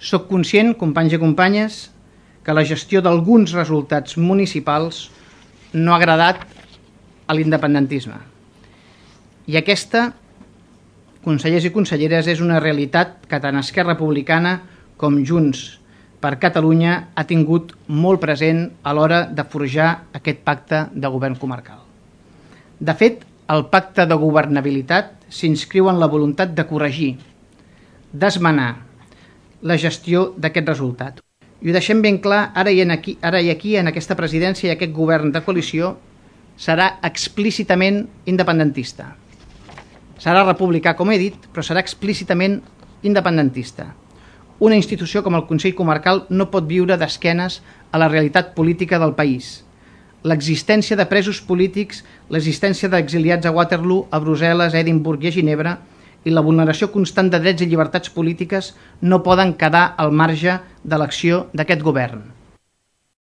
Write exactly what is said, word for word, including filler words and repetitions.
Soc conscient, companys i companyes, que la gestió d'alguns resultats municipals no ha agradat a l'independentisme. I aquesta, consellers i conselleres, és una realitat que tant Esquerra Republicana com Junts per Catalunya ha tingut molt present a l'hora de forjar aquest pacte de govern comarcal. De fet, el pacte de governabilitat s'inscriu en la voluntat de corregir, d'esmenar la gestió d'aquest resultat. I ho deixem ben clar, ara i, aquí, ara i aquí, en aquesta presidència i aquest govern de coalició, serà explícitament independentista. Serà republicà, com he dit, però serà explícitament independentista. Una institució com el Consell Comarcal no pot viure d'esquenes a la realitat política del país. L'existència de presos polítics, l'existència d'exiliats a Waterloo, a Brussel·les, a Edimburg i a Ginebra i la vulneració constant de drets i llibertats polítiques no poden quedar al marge de l'acció d'aquest govern.